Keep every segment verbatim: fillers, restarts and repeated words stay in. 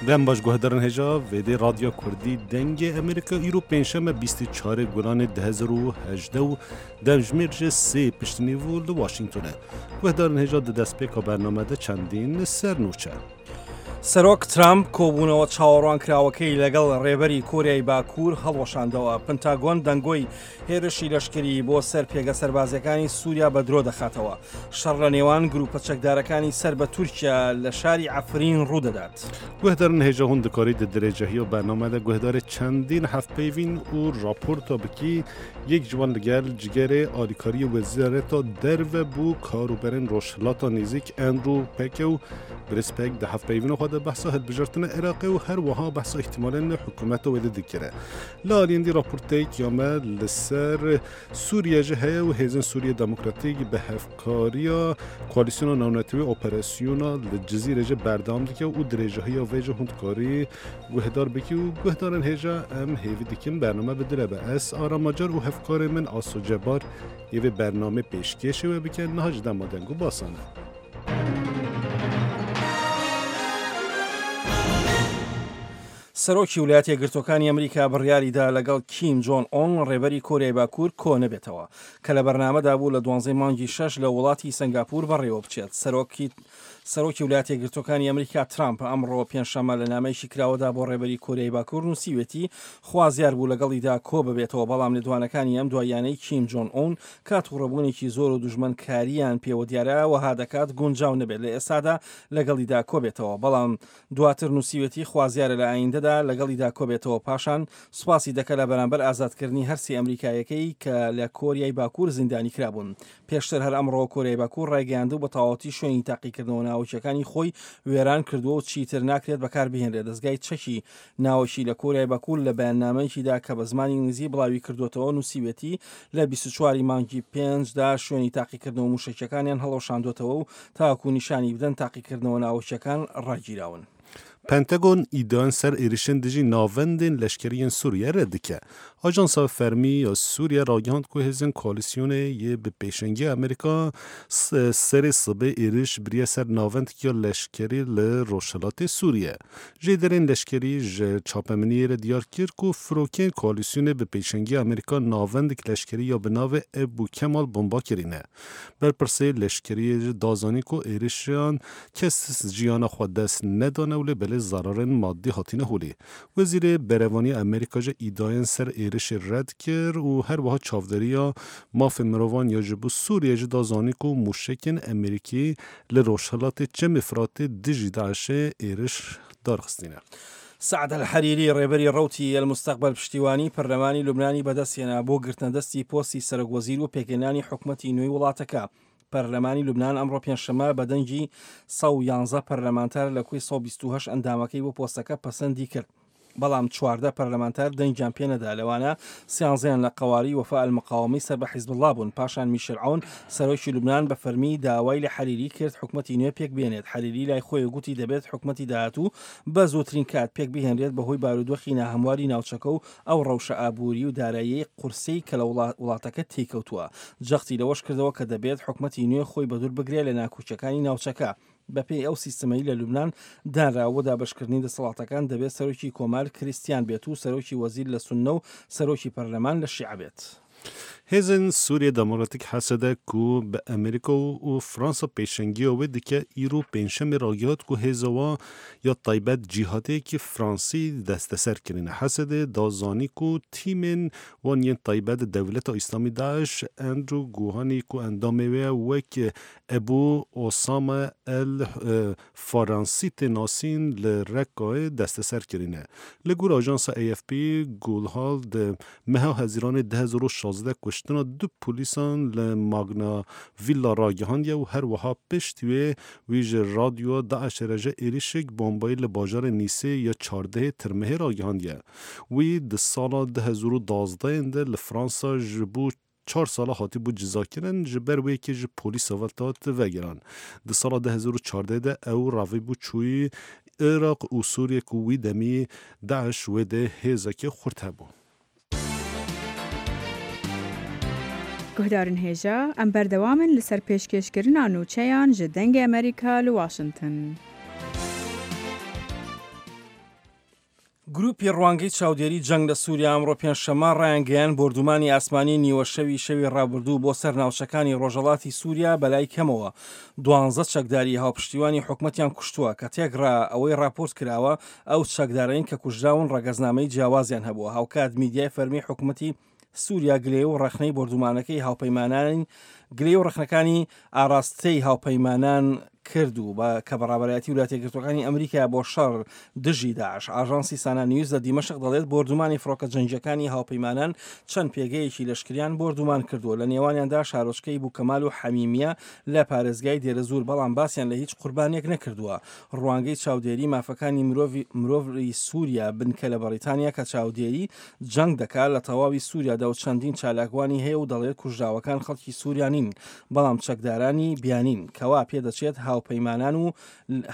Dem baş guhdarên hêja vêdê Radyoya Kurdî Dengê Amerîka îro pêncşeme bîst û çarê Gulanê du hezar û hejdeh û demjimêr ji sê piştî nîv li Washingtonê. Guhdarên hêja di destpêka bername de çendîn ser nûçe. سەرۆک ترامپ کۆبوونەوە چاوەڕوانکراوەکەی لەگەڵ ڕێبەری کۆریای باکوور هەڵوەشاندەوە. پنتاگۆن دەنگۆی هێرشی لەشکری بۆ سەر پێگە سەربازیەکانی سووریا بە درۆ دەخاتەوە. شەڕ لە نێوان گروپە چەکدارەکانی سەر بە تورکیا لە شاری عەفرین ڕوودەدات. گوهدارن هێژا هون دکاری di dirêjehiya bername de guhdarê çendîn hevpeyvîn û raporta bikî yek ji wan ligel cigerê alîkariyê wezareta derve bû karûberên Rojhilata Nêzik Andrew Peke û Birêz Pek di hevpeyvîna xwe de behsa hilbijartina Iraqê û her wiha behsa îhtimalên hikûmeta wê de dikire. Li aliyên dî raporteyek ya me li ser Sûriye jî heye û hêzên Sûriye Demokratîk bi hevkariya Koalîsyona Navnetewî operasyona li Cizîrê jî berdewam dike û dirêjehiya vê jî hûn dikarî guhdar bikî û guhdarên hêja em hêvî dikin bername bi dile be. Ez Aram Acar û hevkarê min Aso Cebar yê vê bernamê pêşkêşê we bike niha ji dema deng û basan e. سەرۆکی ویلایەتە یەکگرتووەکانی ئەمریکا بڕیاریدا لەگەڵ کیم جۆن ئۆن ڕێبەری کۆریای باکوور کۆ نەبێتەوە کە لە بەرنامەدا بوو لە دوانزەی مانگی شەش لە وڵاتی سنگاپور بەڕێوە بچێت. سەرۆکی سەرۆکی ویلایەتە یەکگرتووەکانی ئەمریکا ترامپ ئەمڕۆ پێنجشەممە لە نامەیەکی کراوەدا بۆ ڕێبەری کۆریای باکوور نووسیوێتی خوازیار بوو لەگەڵیدا کۆ ببێتەوە، بەڵام لێدوانەکانی ئەم دواییانەی کیم جۆن ئۆن کە تووڕەبوونێکی زۆر و دوژمنکاریان پێوە دیارە وەها دەکات گونجاو نەبێت لە ئێستادا لەگەڵیدا کۆ بێتەوە، بەڵام دواتر نووسیوێتی خوازیارە لە ئایندەدا لەگەڵیدا کۆ بێتەوە. پاشان سوپاسی دەکە لە بەرامبەر ئازادکردنی هەرسی ئەمریکایەکەی کە لە کۆریای باکوور زیندانی کرابوون. پێشتر هەر ئەمڕۆ کۆریای باکوور ڕایگەیاند و بە تەواوەتی شوێنی تاقیکردنەوە ناوەکیەکانی خۆی وێران کردووە و چیتر ناکرێت بەکار بهێنرێت. دەستگای چەکی ناوەکی لە کۆریای باکوور لە بەیاننامەیەکیدا کە بە زمانی ئینگلیزی بڵاوی کردوێتەوە نووسیوێتی لە بیست و چواری مانگی پێنجدا شوێنی تاقیکردنەوە موشەکیەکانیان هەڵوەشاندوێتەوە و تاکو نیشانی بدەن تاقیکردنەوە ناوەکیەکان ڕاگیراون. پنتاگۆن ئیدان سەر êrişên dijî navendên leşkeriyên Sûriye red dike. Ajansa fermî ya Sûriye ragihand ku hêzên koalîsyonê yê bi pêşengiya Amerîka serê sibê êriş biriye ser navendeke leşkerî li Rojhilatê Sûriye. Jêderên leşkerî ji çapemeniyê re diyar kir ku firokên koalîsyonê bi pêşengiya Amerîka navendek leşkerî ya bi navê Ebû Kemal bomba kirîne. Berpirsê leşkeriyê ji da zanîn ku êrişan kes jiyana xwe dest nedane û lê belê zararên madî hatine holê. Wezîrê Berevaniya Amerîka ji îdayên ser êrişê red kir û her wiha çavdêriya mafê mirovan ya ji bo Sûriye jî da zanîn ku mûşekên Amerîkî li Rojhilatê Çemê Firatê dijî Daişê êriş darxistîne. سعد الحریری ڕێبەری ڕەوتی المستقبل پشتیوانی پەرلەمانی لوبنانی بەدەستهێنا بۆ گرتنەدەستی پۆستی سەرۆک وەزیر و پێکهێنانی حکومەتی نوێی وڵاتەکە. پەرلەمانی لوبنان ئەمڕۆ پێنجشەممە بە دەنگی سەد و یانزە پەرلەمانتار لە کۆی سەد و بیست و هەشت ئەندامەکەی بۆ پۆستەکە پەسەندی کرد، بەڵام چواردە پەرلەمانتار دەنگیان پێنەدا، لەوانە سیانزەیان لە قەواری وەفا المقاومەی سەر بە حیزبوڵڵا بوون. پاشان میشل عون سەرۆکی لوبنان بە فەرمی داوای لە حەریری کرد حکومەتی نوێ پێک بێنێت. حەریری لای خۆی گوتی دەبێت حکومەتی داهاتوو بە زووترین کات پێک بهێنرێت بەهۆی بارودۆخی ناهەمواری ناوچەکە و ئەو ڕەوشە ئابووری و دارایی قورسەی کە لە وڵاتەکە تێکەوتووە. جەختی لەوەش کردەوە کە دەبێت حکومەتی نوێ خۆی بەدوور بگرێت لە ناکۆکیەکانی ناوچەکە. بەپێی ئەو سیستەمەی لە لوبنان دانراوە بۆ دابەشکردنی دەسەڵاتەکان دەبێت سەرۆکی کۆمار کریستیان بێت و سەرۆکی وەزیر لە سوننە و سەرۆکی پەرلەمان لە شیعە بێت. Hêzên Sûriye Demokratîk hesede ku bi Amerîka û Fransa pêşengiya wê dike îro pêncşemê ragihand ku hêza wan ya taybet cîhateyekî Fransî desteser kirine. Hesedê da zanî ku tîmên wan yên taybet Dewleta Îslamî Daeş Andrew Guhanî ku endamê wê wek Ebû Osama el Faransî tê nasîn li Rekkayê desteser kirine. Li gor ajansa A F P Gulhal di meha Hezîranê du hezar û şazdeh kuştina du polîsan li Magna Villa ragihandiye û her wiha piştî wê wî ji radyoya Daişê re ji êrişek bombayî li bajarê Nîsê ya çardehê Tirmehê ragihandiye. Wî di sala du hezar û duwazdehê de li Fransa ji bo çar sala hatibû cizakirin ji ber wê yekê ji polîsa ve hat vegeran. Di sala du hezar û çardehê de ew ravîbû çûyî Iraq û Sûriye ku wî demî Daeş wê de hêzekê xurt hebû. Guhdarên hêja, em berdewam in li ser pêşkêşkirina nûçeyan ji Dengê Amerîka li Washington. گروپی ڕوانگەی چاودێری جەنگ لە سووریا ئەمڕۆ پێنجشەممە ڕایانگەیاند بۆردومانی ئاسمانی نیوەشەوی شەوی ڕابردوو بۆ سەر ناوچەکانی ڕۆژهەڵاتی سووریا بەلای کەمەوە دوانزە چەکداری هاوپشتیوانی حکومەتیان کوشتووە کە تێکڕا ئەوەی ڕاپۆرت کراوە ئەو چەکدارەین کە کوژراون ڕەگەزنامەی جیاوازیان هەبووە. هاوکات میدیای فەرمی حکومەتی سووریا گلەیی و ڕەخنەی بۆردومانەکەی هاوپەیمانانی گلەیی و ڕەخنەکانی ئاراستەی هاوپەیمانان کرد و کە بە ڕابەرایەتی ویلایەتە یەکگرتووەکانی ئەمریکا بۆ شەڕ دژی داعش. ئاژانسی سانا نیوز لە دیمەشق دەڵێت بۆردومانی فڕۆکە جەنگییەکانی هاوپەیمانان چەند پێگەیەکی لەشکریان بۆردومان کردووە لە نێوانیاندا شارۆچکەی بوکەمال و حەمیمیە لە پارێزگای دێرەزوور، بەڵام باسیان لە هیچ قوربانیەک نەکردووە. ڕوانگەی چاودێری مافەکانی مرۆڤی سووریا بنکە لە بەریتانیا کە چاودێری جەنگ دەکات لە تەواوی سووریادا و چەندین چالاکوانی هەیە و دەڵێت کوژراوەکان خەڵکی سووریا نین بەڵام چەکدارانی بیانین کەوا پێدەچێت هاوپەیمانان و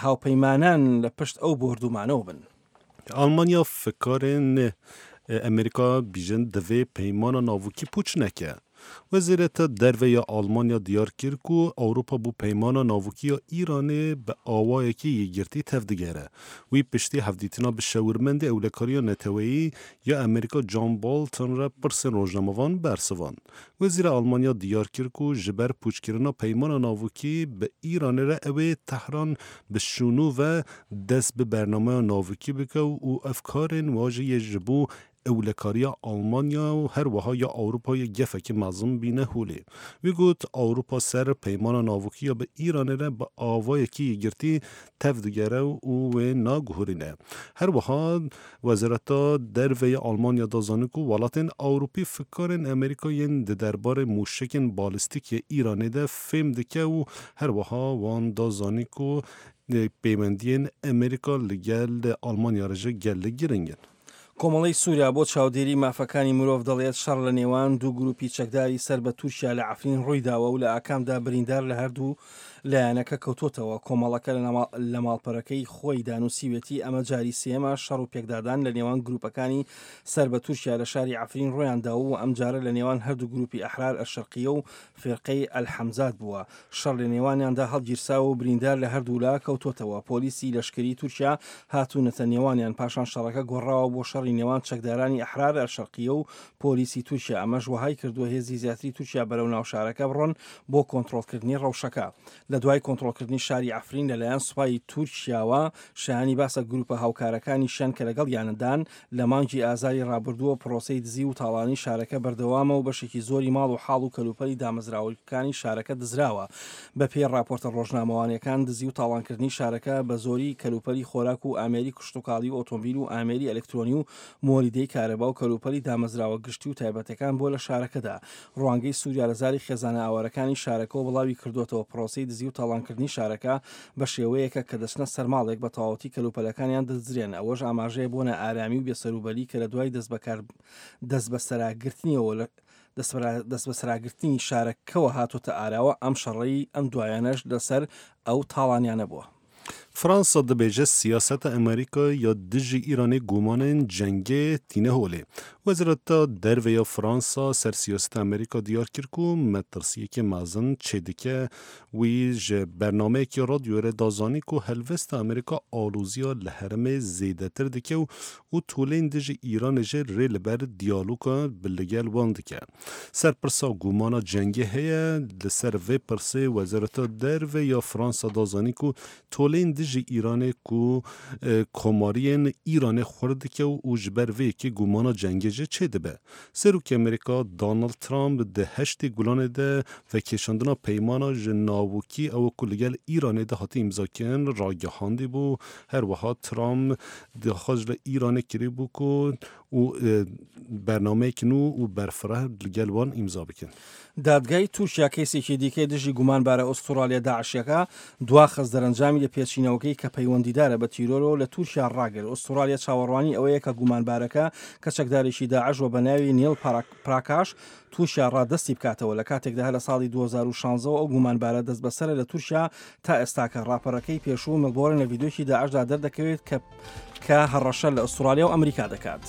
هاوپەیمانان لە پشت ئەو بۆردومانەوە بن. ئەڵمانیا فکارên ئەمریکا بیژن divê peymana navokî pûç neke. Wezareta Derve ya Almanya diyar kir ku Ewropa bû peymana navokî ya Îranê bi awayekî yekgirtî tevdigere. Wî piştî hevdîtina bi şewirmendê ewlekariya neteweyî ya Amerîka John Bolton re pirsên rojnamevan bersivand. Wezîra Almanya diyar kir ku ji ber pûçkirina peymana navokî bi Îranê re ew ê Tehran bi şûnû ve dest bi bernameya navokî bike û ev karên wa jî yê ji bo ewlekariya Almanya û her wiha ya Ewropayê gefekî mezin bîne holê. Wî got Ewropa ser peymana navokî ya bi Îranê re bi awayekî yekgirtî tevdigere û wê naguherîne. Her wiha Wezareta Derve ya Almanya da zanîn ku welatên Ewropî fikarên Amerîka yên di derbarê mûşekên balistîk yê Îranê de fêm dike û her wiha wan da zanîn ku peywendiyên Amerîka li gel Almanya re jî gelek giring in. کۆمەڵەی سووریا بۆ چاودێری مافەکانی مرۆڤ دەڵێت شەڕ لە نێوان دوو گروپی چەکداری سەر بە تورکیا لە عەفرین ڕوویداوە و لە ئاکامدا بریندار لە هەردوو لایەنەکە کەوتۆتەوە. کۆمەڵەکە لە ماڵپەرەکەی خۆی دانووسیوێتی ئەمە جاری سێمە شەڕ و پێکدادان لە نێوان گروپەکانی سەر بە تورکیا لە شاری عەفرین ڕوویانداوە و ئەمجارە لە نێوان هەردوو گروپی ئەحرار ئەلشەرقیە و فیرقەی ئەلحەمزات بووە. شەڕ لە نێوانیاندا هەڵگیرساوە و بریندار لە هەردوولا کەوتۆتەوە. پۆلیسی لەشکری تورکیا هاتوونەتە نێوانیان، پاشان شەڕەکە گۆڕاوە بۆ شەڕی نێوان چەکدارانی ئەحرار ئەلشەرقیە و پۆلیسی تورکیا. ئەمەش وەهای کردووە هێزی زیاتری تورکیا بەرەو ناو شارەکە بڕۆن بۆ کۆنترۆڵکردنی ڕەوشەکە. لە دوای کۆنترۆڵکردنی شاری عەفرین لەلایەن سوپای تورکیاوە شایانی باسە گروپە هاوکارەکانیشیان کە لەگەڵیانەدان لە مانگی ئازاری ڕابردووە پرۆسەی دزی و تاڵانی شارەکە بەردەوامە و بەشێکی زۆری ماڵ و حاڵ و کەلوپەلی دامەزراوەکانی شارەکە دزراوە. بەپێی ڕاپۆرتە ڕۆژنامەوانیەکان دزی و تاڵانکردنی شارەکە بە زۆری کەلوپەلی خۆراک و ئامێری کشتوکاڵی و ئۆتۆمبیل و ئامێری ئەلکترۆنی و مۆلیدەی کارەبا و کەلوپەلی دامەزراوە گشتی و تایبەتەکان بۆ لە شارەکەدا. ڕوانگەی سووریا لە زاری خێزانە ئاوارەکانی شارەکەەوە بڵاوی کردوێتەوە پرۆسەی دزی و تاڵانکردنی شارەکە بە شێوەیەکە کە دەچنە سەرماڵێک بە تەواوەتی کەلوپەلەکانیان دەزرێن. ئەوەش ئاماژەیە بۆ نائارامی و بێسەروبەری کە لە دوای دەستبەسەراگرتنیەوە دەستبەسەراگرتنی شارەکەوە هاتۆتە ئاراوە. ئەم شەڕەی ئەم دوایانەش لەسەر ئەو تاڵانیانە بووە. فرانسا دەبێژە سیاسەتە ئەمریکا یا دژی ئیرانê gumanên cengê tîne holê. Wezareta Derve ya Fransa ser siyaseta Amerîka diyar kir ku metirsiyekê mezin çêdike. Wî ji bernameyekî radyoyê re da zanîn ku helwesta Amerîka aloziya li herêmê zêdetir dike û û tolên dijî Îranê jî rê li ber diyaloga bi li gel wan dike. Ser pirsa gumana cengê heye li ser vê pirsê Wezareta Derve ya Fransa da zanîn ku tolên dijî Îranê ku komariyên Îranê xwe dike û ji ber vê yekê gumana cengê jî çêdibe. Serokê Amerîka Donald Trump di heştê gulanê de vekêşandina peymana ji navokî ew ku li gel Îranê de hatî îmzakirin ragihandî bû. Her wiha Trump daxwaz li Îranê kiribû ku û bernameyek nû û berfireh li gel wan îmza bikin. دادگای تورکیا کەیسێکی دیکەی دژی گومانبارە ئوسترالیا داعشیەکە دواخست دەرەنجامی لە پێچینەوەکەی کە پەیوەندیدارە بە تیرۆرەوە لە تورکیا ڕاگرت. ئوسترالیا چاوەڕوانی ئەوەیە کە گومانبارەکە کە چەکدارێکی داعش و بە ناوی نیل پراکاش تورکیا ڕادەستی بکاتەوە. لە کاتێکدا لە ساڵی دوو هەزار و شانزە ئەو گومانبارە دەست بەسەرە لە تورکیا تا ئێستاکە ڕاپەرەکەی پێشوو ملبۆرن لە ڤیدیۆیەکی داعشدا دەردەکەوێت کە کە هەڕەشە لە ئوسترالیا و ئەمریکا دەکات.